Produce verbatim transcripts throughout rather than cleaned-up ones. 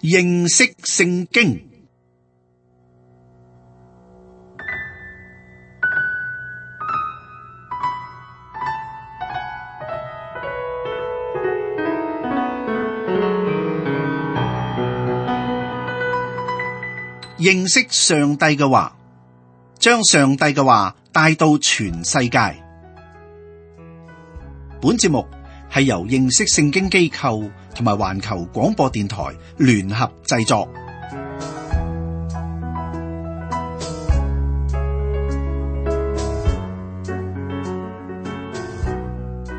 認識聖經。認識上帝嘅話，將上帝嘅話帶到全世界。本節目係由認識聖經機構同埋環球廣播電台聯合製作。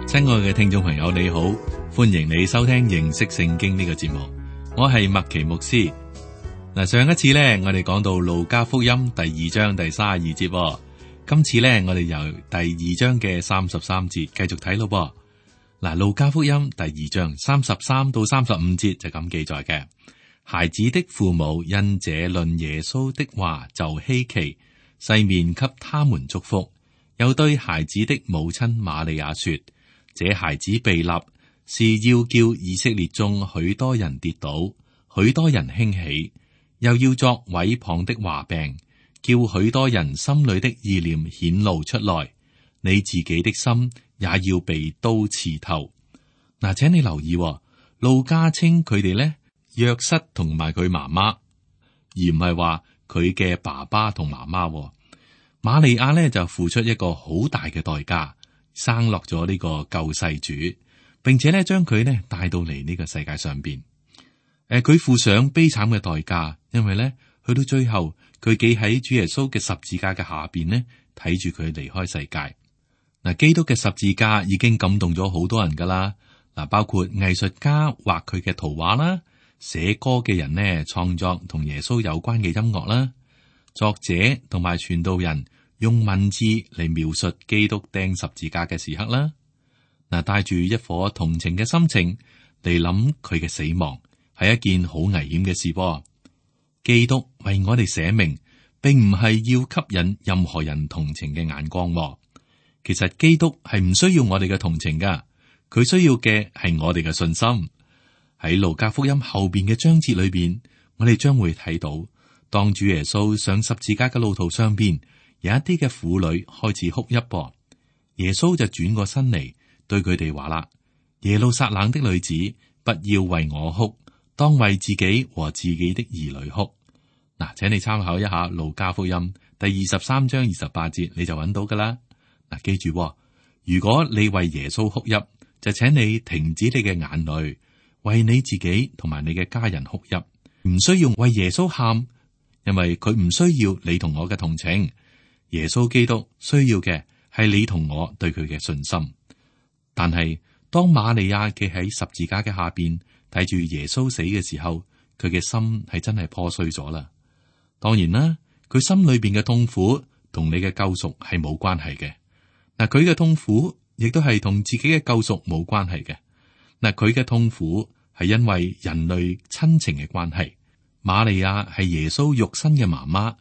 親愛嘅聽眾朋友，你好，歡迎你收聽認識聖經呢個節目。我係麥奇牧師。嗱，上一次咧，我哋講到路加福音第二章第三十二節，今次咧，我哋由第二章嘅三十三節繼續睇咯噃。嗱，路加福音第二章三十三到三十五節就咁記載嘅：孩子的父母因這論耶穌的話就稀奇，細面給他們祝福，又對孩子的母親瑪利亞說：這孩子被立，是要叫以色列中許多人跌倒，許多人興起。又要作毀謗的話柄，叫許多人心裏的意念顯露出來。你自己的心也要被刀刺透。嗱，請你留意，路加稱佢哋咧約瑟同埋佢媽媽，而唔係話佢嘅爸爸同媽媽。瑪利亞咧就付出一個好大嘅代價，生落咗呢個救世主，並且咧將佢咧帶到嚟呢個世界上邊。誒，佢付上悲慘嘅代價，因為咧去到最後，佢企喺主耶穌嘅十字架嘅下邊呢，睇住佢離開世界。嗱，基督嘅十字架已經感動咗好多人噶啦。嗱，包括藝術家畫佢嘅圖畫啦，寫歌嘅人呢創作同耶穌有關嘅音樂啦，作者同埋傳道人用文字嚟描述基督釘十字架嘅時刻啦。嗱，帶住一顆同情嘅心情嚟諗佢嘅死亡，係一件好危險嘅事噃。基督為我哋捨命，並唔係要吸引任何人同情嘅眼光。其實基督係唔需要我哋嘅同情噶，佢需要嘅係我哋嘅信心。喺路加福音後邊嘅章節裏邊，我哋將會睇到，當主耶穌上十字架嘅路途上邊，有一啲嘅婦女開始哭泣噃。耶穌就轉過身嚟對佢哋話啦：耶路撒冷的女子，不要為我哭，當為自己和自己的兒女哭。嗱，請你參考一下路加福音第二十三章二十八節，你就揾到噶啦。嗱，記住，如果你為耶穌哭泣，就請你停止你嘅眼淚，為你自己同埋你嘅家人哭泣，唔需要為耶穌喊，因為佢唔需要你同我嘅同情。耶穌基督需要嘅係你同我對佢嘅信心。但係當瑪利亞企喺十字架嘅下邊，睇住耶穌死嘅時候，佢嘅心係真係破碎咗啦。當然啦，佢心裏邊嘅痛苦同你嘅救贖係冇關係嘅。嗱，佢嘅痛苦亦都係同自己嘅救贖冇關係嘅。嗱，佢嘅痛苦係因為人類親情嘅關係。瑪利亞係耶穌肉身嘅媽媽，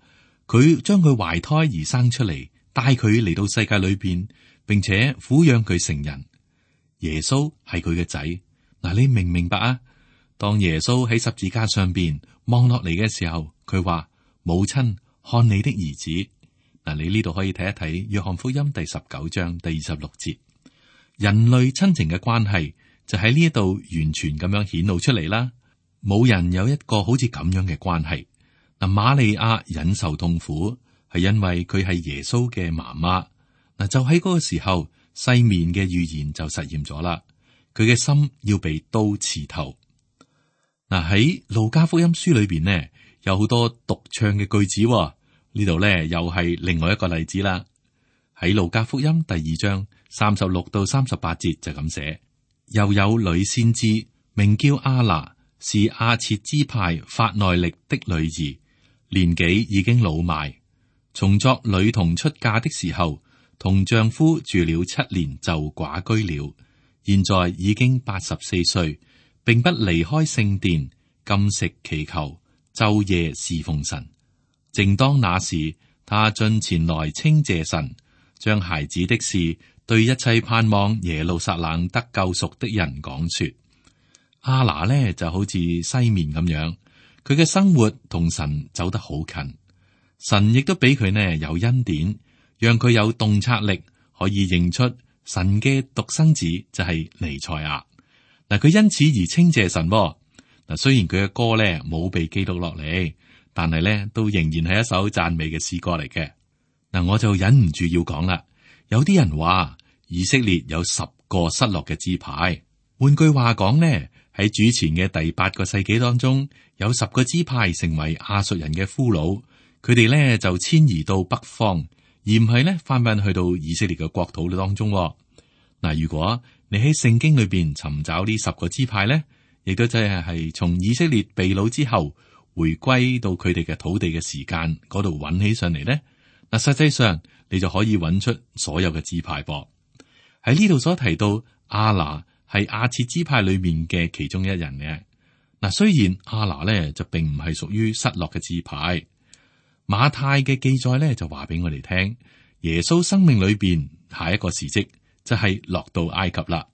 佢將佢懷胎而生出嚟，帶佢嚟到世界裏邊，並且撫養佢成人。耶穌係佢嘅仔。嗱，你明唔明白啊？當耶穌喺十字架上邊望落嚟嘅時候，佢話：母親，看你的兒子。嗱，你呢度可以睇一睇約翰福音第十九章第二十六節，人類親情嘅關係就喺呢一度完全咁樣顯露出嚟啦。冇人有一個好似咁樣嘅關係。嗱，瑪利亞忍受痛苦係因為佢係耶穌嘅媽媽。嗱，就喺嗰個時候，西面嘅預言就實現咗啦。佢嘅心要被刀刺透。嗱，喺路加福音書裏邊呢，有好多獨唱嘅句子。呢度咧又係另外一個例子啦。喺路加福音第二章三十六到三十八節就咁寫：又有女先知名叫亞拿，是亞設支派法內力的女兒，年紀已經老邁，從作女童出嫁的時候，同丈夫住了七年就寡居了，現在已經八十四歲，並不離開聖殿，禁食祈求，晝夜侍奉神。正當那時，他進前來稱謝神，將孩子的事對一切盼望耶路撒冷得救贖的人講說。亞拿呢就好似西面咁樣，佢嘅生活同神走得好近，神亦都俾佢呢有恩典，讓佢有洞察力，可以認出神嘅獨生子就係彌賽亞。嗱，佢因此而稱謝神。嗱，雖然佢嘅歌咧冇被記錄落嚟，但係咧都仍然係一首讚美嘅詩歌嚟嘅。嗱，我就忍唔住要講啦。有啲人話以色列有十個失落嘅支派，換句話講呢，喺主前嘅第八個世紀當中，有十個支派成為亞述人嘅俘虜，佢哋咧就遷移到北方，而唔係咧翻返去到以色列嘅國土當中。嗱，如果你喺聖經裏邊尋找呢十個支派咧，亦都即係係從以色列被擄之後回歸到佢哋嘅土地嘅時間嗰度揾起上嚟咧，嗱，實際上你就可以揾出所有嘅支派噃。喺呢度所提到亞拿係亞設支派裏面嘅其中一人嘅。嗱，雖然亞拿咧就並唔係屬於失落嘅支派，馬太嘅記載咧就話俾我哋聽，耶穌生命裏邊下一個時跡就係落到埃及啦。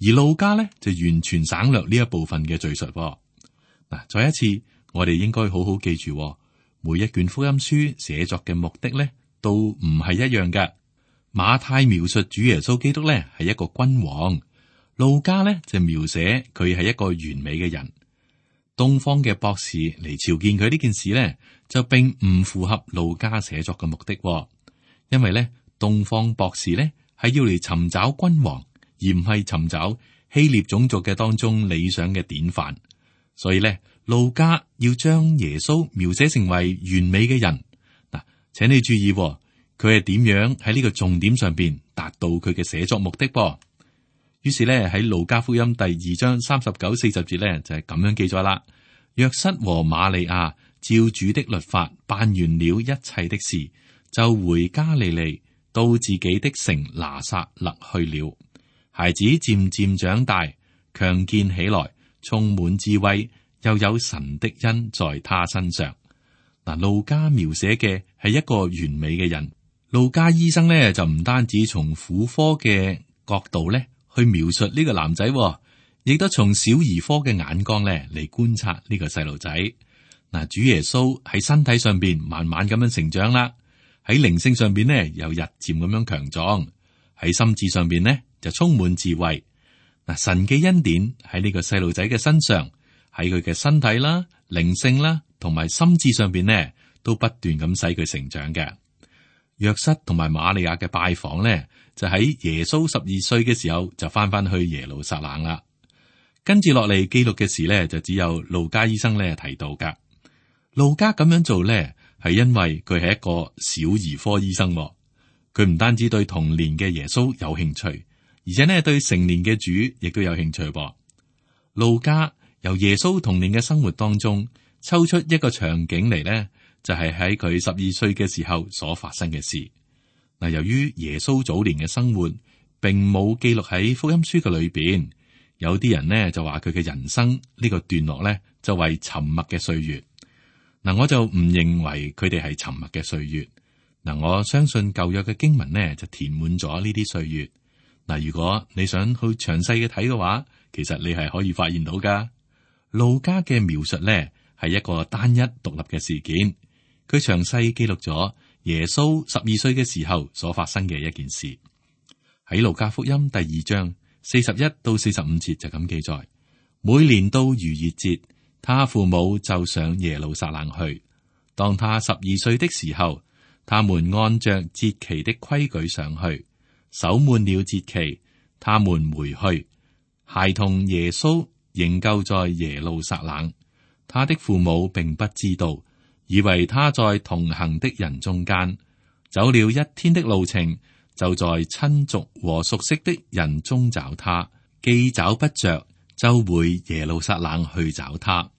而路加咧就完全省略呢一部分嘅敘述。嗱，再一次，我哋應該好好記住，每一卷福音書寫作嘅目的咧都唔係一樣嘅。馬太描述主耶穌基督咧係一個君王，路加咧就描寫佢係一個完美嘅人。東方嘅博士嚟朝見佢呢件事咧，就並唔符合路加寫作嘅目的，因為咧東方博士咧係要嚟尋找君王，而唔係尋找希臘種族嘅當中理想嘅典範。所以咧，路加要將耶穌描寫成為完美嘅人。嗱，請你注意，佢係點樣喺呢個重點上邊達到佢嘅寫作目的噃。於是咧喺路加福音第二章三十九、四十節咧就係咁樣記載啦。約瑟和瑪利亞照主的律法辦完了一切的事，就回加利利，到自己的城拿撒勒去了。孩子漸漸長大，強健起來，充滿智慧，又有神的恩在他身上。嗱，路加描寫嘅係一個完美嘅人。路加醫生咧就唔單止從婦科嘅角度咧去描述呢個男仔，亦都從小兒科嘅眼光咧嚟觀察呢個細路仔。嗱，主耶穌喺身體上邊慢慢咁樣成長啦，喺靈性上邊呢又日漸咁樣強壯，喺心智上邊呢就充滿智慧。嗱，神嘅恩典喺呢個細路仔嘅身上，喺佢嘅身體啦、靈性啦同埋心智上邊呢，都不斷咁使佢成長嘅。約瑟同埋瑪利亞嘅拜訪呢，就喺耶穌十二歲嘅時候就翻翻去耶路撒冷啦。跟住落嚟記錄嘅事呢，就只有路加醫生咧提到噶。路加咁樣做呢，係因為佢係一個小兒科醫生，佢唔單止對童年嘅耶穌有興趣，而且呢對成年嘅主亦都有興趣噃。路加由耶穌童年嘅生活當中抽出一個場景嚟呢，就係喺佢十二歲嘅時候所發生嘅事。嗱，由於耶穌早年嘅生活並冇記錄喺福音書嘅裏邊，有啲人呢就話佢嘅人生呢個段落呢就為沉默嘅歲月。嗱，我就唔認為佢哋係沉默嘅歲月。嗱，我相信舊約嘅經文呢就填滿咗呢啲歲月。嗱，如果你想去詳細嘅睇嘅話，其實你係可以發現到噶。路加嘅描述呢係一個單一獨立嘅事件，佢詳細記錄咗耶穌十二歲嘅時候所發生嘅一件事。喺路加福音第二章四十一到四十五節就咁記載：每年到逾越節，他父母就上耶路撒冷去。當他十二歲的時候，他們按着節期的規矩上去，守滿了節期，他們回去。孩童耶穌仍舊在耶路撒冷，他的父母並不知道，以為他在同行的人中間。走了一天的路程，就在親族和熟悉的人中找他，既找不着，就回耶路撒冷去找他。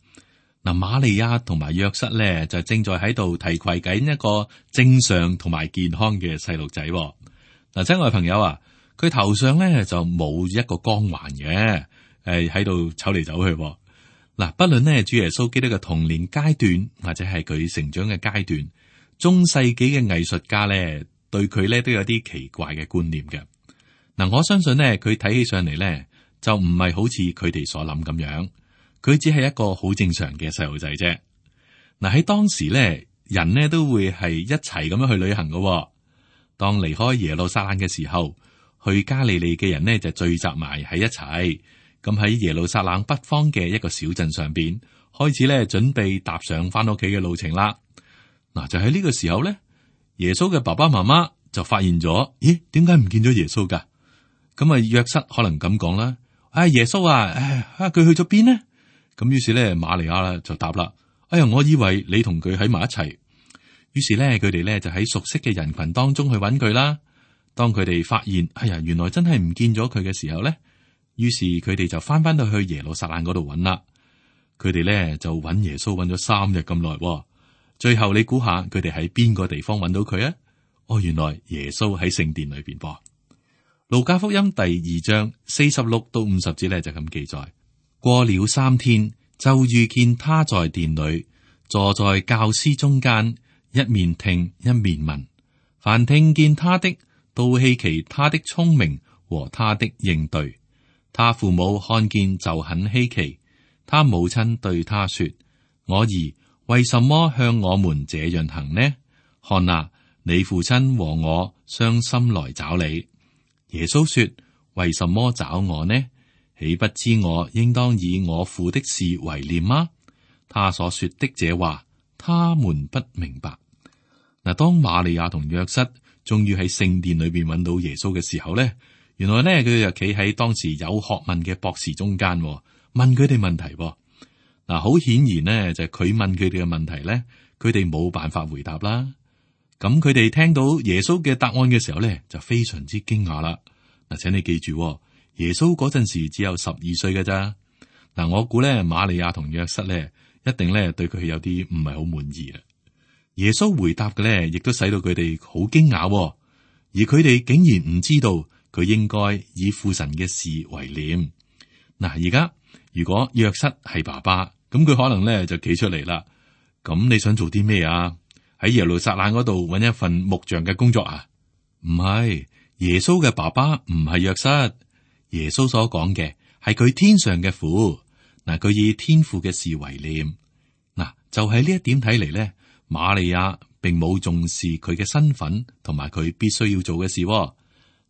嗱，瑪利亞同埋約瑟咧，就正在喺度提攜緊一個正常同埋健康嘅細路仔。嗱，親愛朋友啊，佢頭上咧就冇一個光環嘅，誒喺度走嚟走去。嗱，不論呢主耶穌基督嘅童年階段或者係佢成長嘅階段，中世紀嘅藝術家咧對佢咧都有啲奇怪嘅觀念嘅。嗱，我相信呢，佢睇起上嚟咧就唔係好似佢哋所諗咁樣。佢只係一個好正常嘅細路仔啫。嗱，喺當時咧，人呢都會係一齊咁樣去旅行噶。當離開耶路撒冷嘅時候，去加利利嘅人呢就聚集埋喺一齊。咁喺耶路撒冷北方嘅一個小鎮上邊，開始咧準備踏上翻屋企嘅路程啦。嗱，就喺呢個時候咧，耶穌嘅爸爸媽媽就發現咗，咦，點解唔見咗耶穌噶？咁啊，約瑟可能咁講啦，哎，耶穌啊，唉，啊，佢去咗邊呢？咁於是咧，瑪利亞啦就答啦，哎呀，我以為你同佢喺埋一齊。於是咧，佢哋咧就喺熟悉嘅人群當中去揾佢啦。當佢哋發現，哎呀，原來真係唔見咗佢嘅時候咧，於是佢哋就翻翻到去耶路撒冷嗰度揾啦。佢哋咧就揾耶穌揾咗三日咁耐，最後你估下佢哋喺邊個地方揾到佢啊？哦，原來耶穌喺聖殿裏邊噃。路加福音第二章四十六到五十節咧就咁記載：過了三天，就遇見他在殿裏，坐在教師中間，一面聽一面問。凡聽見他的，都稀奇他的聰明和他的應對。他父母看見就很稀奇。他母親對他說：我兒，為什麼向我們這樣行呢？看哪，你父親和我傷心來找你。耶穌說：為什麼找我呢？豈不知我應當以我父的事為念嗎？他所說的這話，他們不明白。嗱，當瑪利亞同約瑟終於喺聖殿裏邊揾到耶穌嘅時候咧，原來咧佢就企喺當時有學問嘅博士中間，問佢哋問題。嗱，好顯然呢，就係佢問佢哋嘅問題咧，佢哋冇辦法回答啦。咁佢哋聽到耶穌嘅答案嘅時候咧，就非常之驚訝啦。嗱，請你記住，耶穌嗰陣時只有十二歲嘅咋。嗱，我估咧瑪利亞同約瑟咧，一定咧對佢有啲唔係好滿意啊。耶穌回答嘅咧，亦都使到佢哋好驚訝，而佢哋竟然唔知道佢應該以父神嘅事為念。嗱，而家如果約瑟係爸爸，咁佢可能咧就企出嚟啦。咁你想做啲咩啊？喺耶路撒冷嗰度搵一份木匠嘅工作啊？唔係，耶穌嘅爸爸唔係約瑟。耶穌所講嘅係佢天上嘅父。嗱，佢以天父嘅事為念。嗱，就係呢一點睇嚟咧，瑪利亞並冇重視佢嘅身份同埋佢必須要做嘅事，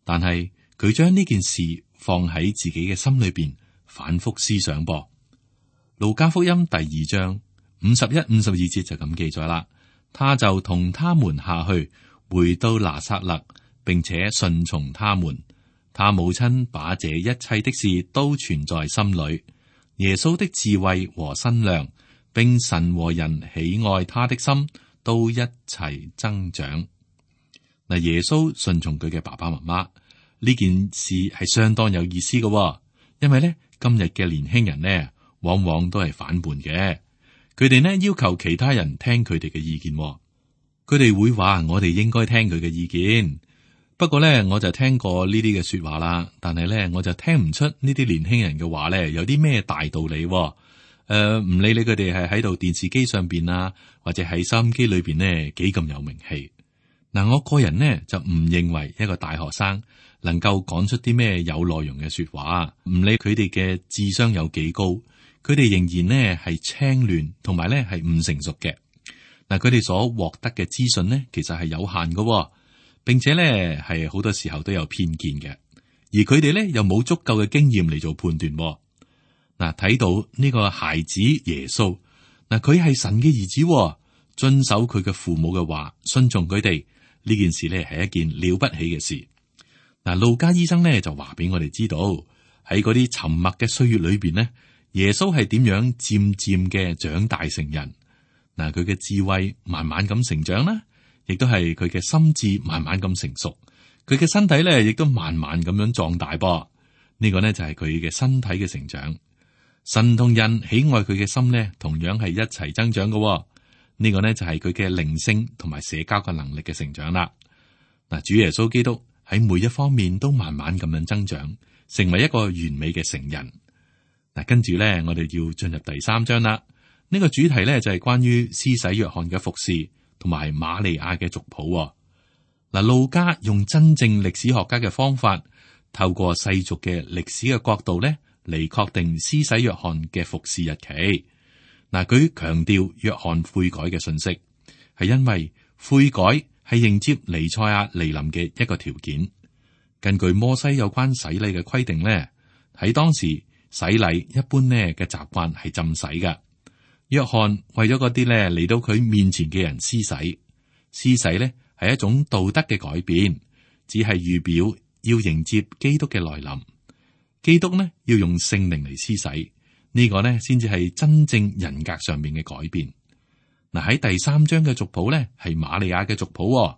但係佢將呢件事放喺自己嘅心裏邊，反覆思想噃。路加福音第二章五十一、五十二節就咁記載啦。他就同他們下去，回到拿撒勒，並且順從他們。他母親把這一切的事都存在心裏。耶穌的智慧和身量，並神和人喜愛他的心，都一齊增長。嗱，耶穌順從佢嘅爸爸媽媽呢件事係相當有意思嘅，因為咧今日嘅年輕人呢，往往都係反叛嘅。佢哋呢要求其他人聽佢哋嘅意見，佢哋會話我哋應該聽佢嘅意見。不過咧，我就聽過呢啲嘅說話啦，但係咧我就聽唔出呢啲年輕人嘅話咧有啲咩大道理。誒、呃，唔理你佢哋係喺度電視機上邊啊，或者喺收音機裏邊呢幾咁有名氣。嗱，我個人呢就唔認為一個大學生能夠講出啲咩有內容嘅說話，唔理佢哋嘅智商有幾高。佢哋仍然呢係青亂，同埋呢係唔成熟嘅。嗱，佢哋所獲得嘅資訊呢，其實係有限嘅，並且呢係好多時候都有偏見嘅。而佢哋呢又冇足夠嘅經驗嚟做判斷。嗱，睇到呢個孩子耶穌，嗱，佢係神嘅兒子，遵守佢嘅父母嘅話，順從佢哋呢件事呢係一件了不起嘅事。嗱，路加醫生呢就話俾我哋知道，喺嗰啲沉默嘅歲月裏邊呢，耶穌係點樣漸漸嘅長大成人。嗱，佢嘅智慧慢慢咁成長啦，亦都係佢嘅心智慢慢咁成熟。佢嘅身體咧，亦都慢慢咁樣壯大噃。呢個呢就係佢嘅身體嘅成長。神同人喜愛佢嘅心呢，同樣係一齊增長嘅。呢個呢就係佢嘅靈性同埋社交嘅能力嘅成長啦。嗱，主耶穌基督喺每一方面都慢慢咁樣增長，成為一個完美嘅成人。嗱，跟住咧，我哋要進入第三章啦。呢個主題咧就係關於施洗約翰嘅服侍同埋瑪利亞嘅族譜。嗱，路加用真正歷史學家嘅方法，透過世俗嘅歷史嘅角度咧嚟確定施洗約翰嘅服侍日期。嗱，佢強調約翰悔改嘅信息，係因為悔改係迎接彌賽亞嚟臨嘅一個條件。根據摩西有關洗禮嘅規定咧，喺當時洗禮一般咧嘅習慣係浸洗㗎。約翰為咗嗰啲咧嚟到佢面前嘅人施洗，施洗咧係一種道德嘅改變，只係預表要迎接基督嘅來臨。基督呢要用聖靈嚟施洗，呢個呢先至係真正人格上面嘅改變。嗱，喺第三章嘅族譜呢係瑪利亞嘅族譜，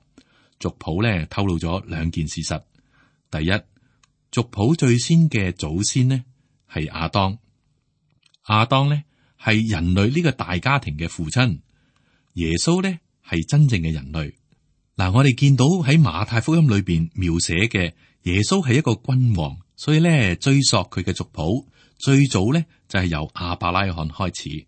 族譜呢透露咗兩件事實。第一，族譜最先嘅祖先呢係亞當，亞當呢係人類呢個大家庭嘅父親，耶穌呢係真正嘅人類。嗱，我哋見到喺馬太福音裏邊描寫嘅耶穌係一個君王。所以咧，追溯佢嘅族譜，最早咧就係由亞伯拉罕開始。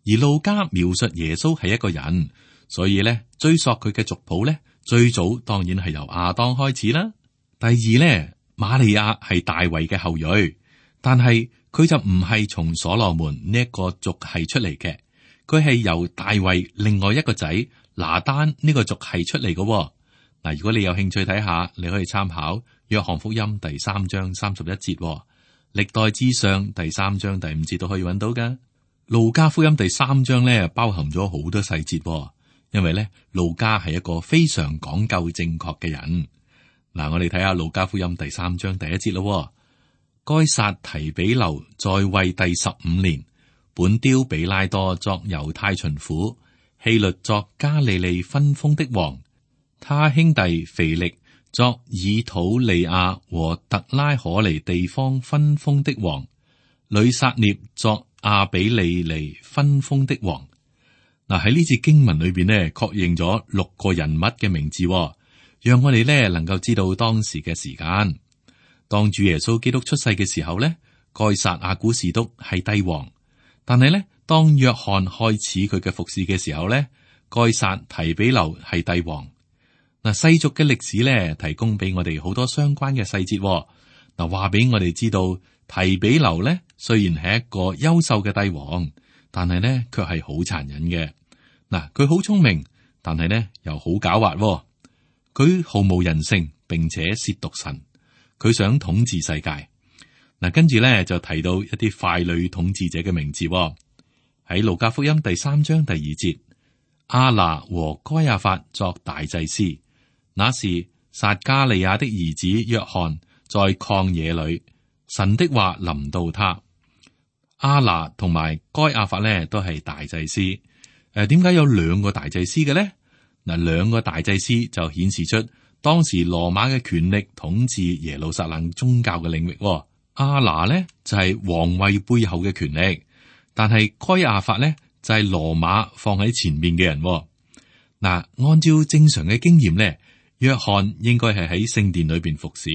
而路加描述耶穌係一個人，所以咧追溯佢嘅族譜咧，最早當然係由亞當開始啦。第二咧，瑪利亞係大衛嘅後裔，但係佢就唔係從所羅門呢一個族系出嚟嘅，佢係由大衛另外一個仔拿單呢個族系出嚟嘅。嗱，如果你有興趣睇下，你可以參考約翰福音第三章三十一節，歷代志上第三章第五節都可以揾到噶。路加福音第三章咧包含咗好多細節，因為咧路加係一個非常講究正確嘅人。嗱，我哋睇下路加福音第三章第一節咯。該撒提比留在位第十五年，本丟比拉多作猶太巡撫，希律作加利利分封的王。他兄弟腓力作以土利亞和特拉可尼地方分封的王，呂撒聶作亞比利尼分封的王。嗱，喺呢節經文裏邊呢，確認咗六個人物嘅名字，讓我哋呢能夠知道當時嘅時間。當主耶穌基督出世嘅時候呢，該撒亞古士督係帝王，但係呢，當約翰開始佢嘅服侍嘅時候呢，該撒提比留係帝王。嗱，世俗嘅歷史咧，提供俾我哋好多相關嘅細節。嗱，話俾我哋知道，提比留咧雖然係一個優秀嘅帝王，但係咧卻係好殘忍嘅。嗱，佢好聰明，但係咧又好狡猾。佢毫無人性，並且褻瀆神。佢想統治世界。嗱，跟住咧就提到一啲傀儡統治者嘅名字。喺路加福音第三章第二節，亞拿和該亞法作大祭司。那時撒加利亞的兒子約翰在曠野裏，神的話臨到他。亞拿同埋該亞法咧都係大祭司。誒、呃，點解有兩個大祭司嘅咧？嗱，兩個大祭司就顯示出當時羅馬嘅權力統治耶路撒冷宗教嘅領域。亞拿咧就係、是、皇位背後嘅權力，但係該亞法咧就係、是、羅馬放喺前面嘅人。嗱，按照正常嘅經驗咧，約翰應該係喺聖殿裏邊服侍，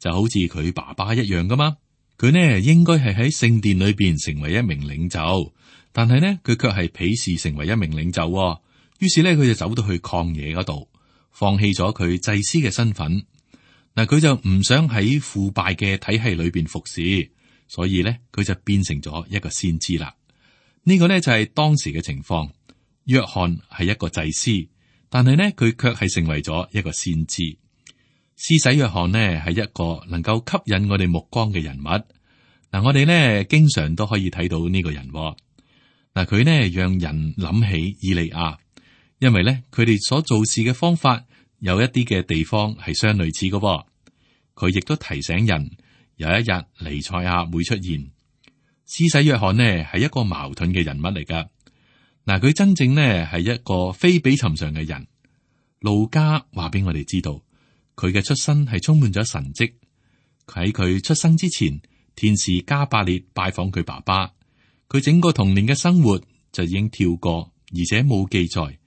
就好似佢爸爸一樣噶嘛。佢呢應該係喺聖殿裏邊成為一名領袖，但係呢佢卻係鄙視成為一名領袖。於是呢佢就走到去曠野嗰度，放棄咗佢祭司嘅身份。嗱，佢就唔想喺腐敗嘅體系裏邊服侍，所以呢佢就變成咗一個先知啦。呢個呢就係當時嘅情況。約翰係一個祭司。但係呢，佢卻係成為咗一個先知。施洗約翰呢，係一個能夠吸引我哋目光嘅人物。嗱，我哋呢經常都可以睇到呢個人。嗱，佢呢讓人諗起以利亞，因為呢佢哋所做事嘅方法有一啲嘅地方係相類似嘅。佢亦都提醒人，有一日彌賽亞會出現。施洗約翰呢係一個矛盾嘅人物嚟噶。嗱，佢真正呢係一個非比尋常嘅人。路加話俾我哋知道，佢嘅出身係充滿咗神蹟。喺佢出生之前，天使加百列拜訪佢爸爸，佢整個童年嘅生活就已經跳過，而且冇記載。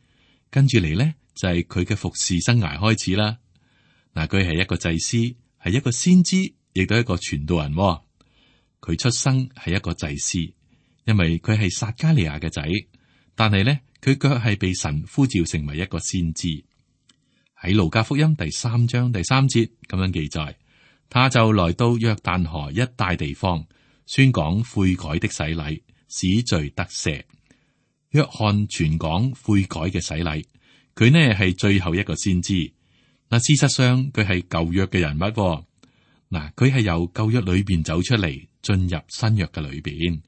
跟住嚟呢，就係佢嘅服侍生涯開始啦。嗱，佢係一個祭司，係一個先知，亦都係一個傳道人。佢出生係一個祭司，因為佢係撒加利亞嘅仔。但係咧，佢卻係被神呼召成為一個先知。喺路加福音第三章第三節咁樣記載，他就來到約旦河一帶地方，宣講悔改的洗禮，使罪得赦。約翰傳講悔改嘅洗禮，佢呢係最後一個先知。嗱，事實上佢係舊約嘅人物。嗱，佢係由舊約裏邊走出嚟，進入新約嘅裏邊。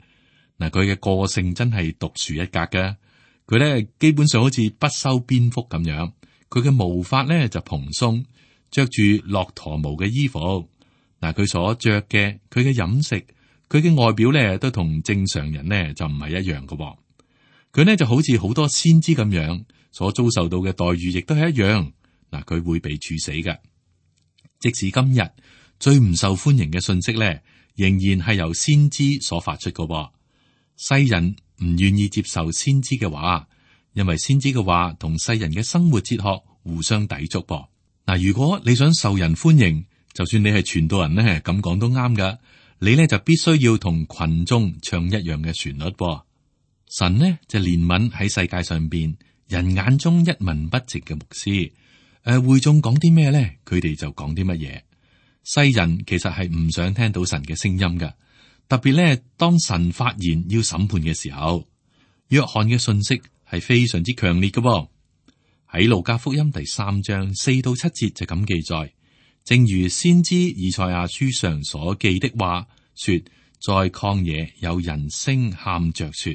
嗱，佢嘅個性真係獨樹一格嘅。佢咧基本上好似不修邊幅咁樣，佢嘅毛髮咧就蓬鬆，着住駱駝毛嘅衣服。嗱，佢所着嘅，佢嘅飲食，佢嘅外表咧都同正常人咧就唔係一樣嘅。佢呢就好似好多先知咁樣，所遭受到嘅待遇亦都係一樣。嗱，佢會被處死嘅。即使今日最唔受歡迎嘅信息咧，仍然係由先知所發出嘅。世人唔願意接受先知嘅話，因為先知嘅話同世人嘅生活哲學互相抵觸噃。嗱，如果你想受人歡迎，就算你係傳道人咧，咁講都啱噶。你咧就必須要同群眾唱一樣嘅旋律噃。神呢就憐憫喺世界上邊人眼中一文不值嘅牧師。誒、呃，會眾講啲咩咧？佢哋就講啲乜嘢。世人其實係唔想聽到神嘅聲音噶。特別咧，當神發言要審判嘅時候，約翰嘅信息係非常之強烈嘅噃。喺路加福音第三章四到七節就咁記載，正如先知以賽亞書上所記的話說，在曠野有人聲喊着說，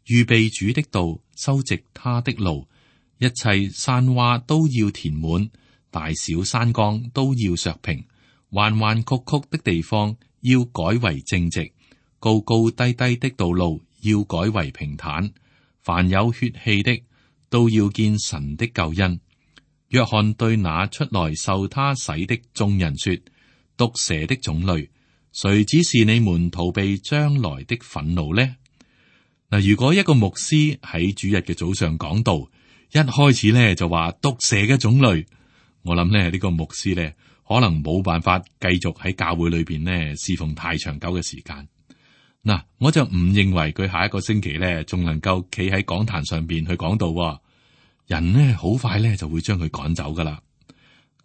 預備主的道，修直他的路，一切山窪都要填滿，大小山岡都要削平，彎彎曲曲的地方要改為正直，高高低低的道路要改為平坦，凡有血氣的都要見神的救恩。約翰對那出來受他洗的眾人說，毒蛇的種類，誰指示你們逃避將來的憤怒呢？嗱，如果一個牧師喺主日嘅早上講道，一開始咧就話毒蛇嘅種類，我諗咧呢個牧師咧可能冇辦法繼續喺教會裏邊咧侍奉太長久嘅時間。嗱，我就唔認為佢下一個星期咧仲能夠企喺講壇上邊去講道，人呢好快咧就會將佢趕走噶啦。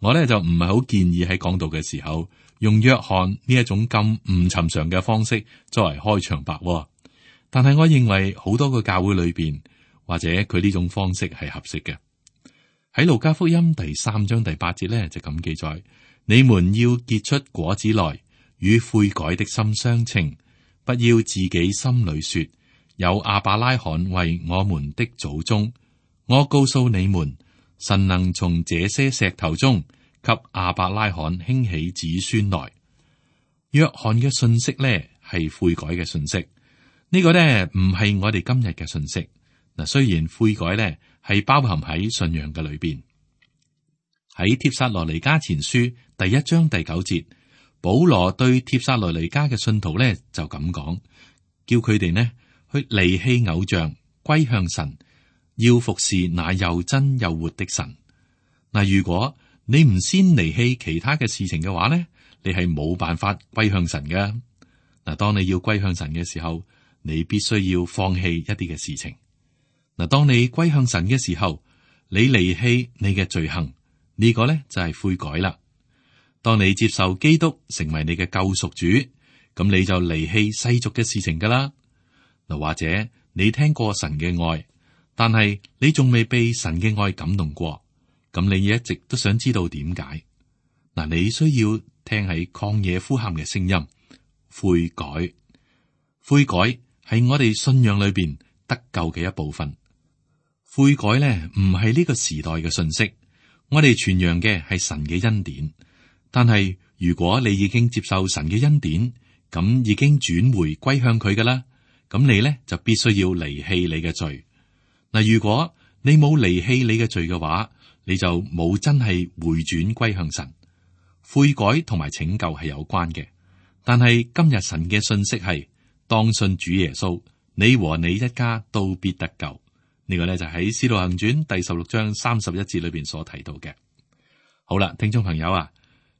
我咧就唔係好建議喺講道嘅時候用約翰呢一種咁唔尋常嘅方式作為開場白，但係我認為好多個教會裏邊或者佢呢種方式係合適嘅。喺路加福音第三章第八節咧就咁記載，你們要結出果子來，與悔改的心相稱。不要自己心裏說，有亞伯拉罕為我們的祖宗。我告訴你們，神能從這些石頭中給亞伯拉罕興起子孫來。約翰嘅信息咧係悔改嘅信息，呢、這個咧唔係我哋今日嘅信息。嗱，雖然悔改咧係包含喺信仰嘅裏邊，喺帖撒羅尼迦前書第一章第九節。保羅對帖撒羅尼迦嘅信徒咧就咁講，叫佢哋呢去離棄偶像，歸向神，要服侍那又真又活的神。嗱，如果你唔先離棄其他嘅事情嘅話呢，你係冇辦法歸向神嘅。嗱，當你要歸向神嘅時候，你必須要放棄一啲嘅事情。嗱，當你歸向神嘅時候，你離棄你嘅罪行，呢個咧就係悔改啦。當你接受基督成為你嘅救贖主，咁你就離棄世俗嘅事情噶啦。嗱，或者你聽過神嘅愛，但係你仲未被神嘅愛感動過，咁你一直都想知道點解？嗱，你需要聽喺曠野呼喊嘅聲音，悔改。悔改係我哋信仰裏邊得救嘅一部分。悔改咧唔係呢個時代嘅信息，我哋傳揚嘅係神嘅恩典。但係如果你已經接受神嘅恩典，咁已經轉回歸向佢噶啦，咁你咧就必須要離棄你嘅罪。嗱，如果你冇離棄你嘅罪嘅話，你就冇真係回轉歸向神。悔改同埋拯救係有關嘅，但係今日神嘅信息係當信主耶穌，你和你一家都必得救。呢個咧就喺《使徒行傳》第十六章三十一節裏邊所提到嘅。好啦，聽眾朋友啊。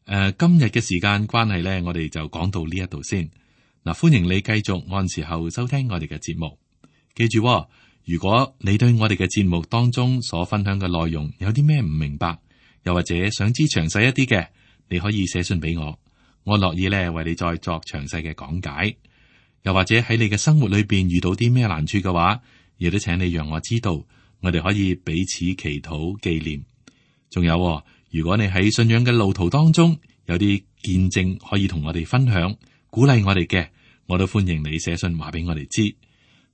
誒、呃，今日嘅時間關係咧，我哋就講到呢一度先。嗱，歡迎你繼續按時候收聽我哋嘅節目。記住、哦，如果你對我哋嘅節目當中所分享嘅內容有啲咩唔明白，又或者想知詳細一啲嘅，你可以寫信俾我，我樂意咧為你再作詳細嘅講解。又或者喺你嘅生活裏邊遇到啲咩難處嘅話，亦都請你讓我知道，我哋可以彼此祈禱紀念。仲有，如果你喺信仰嘅路途當中有啲見證可以同我哋分享，鼓勵我哋嘅，我都歡迎你寫信話俾我哋知。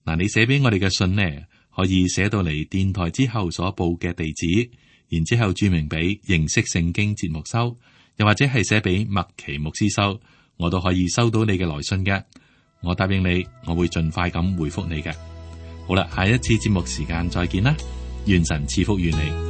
嗱，你寫俾我哋嘅信呢，可以寫到嚟電台之後所報嘅地址，然之後注明俾認識聖經節目收，又或者係寫俾麥奇牧師收，我都可以收到你嘅來信嘅。我答應你，我會盡快咁回覆你嘅。好啦，下一次節目時間再見啦，願神賜福於你。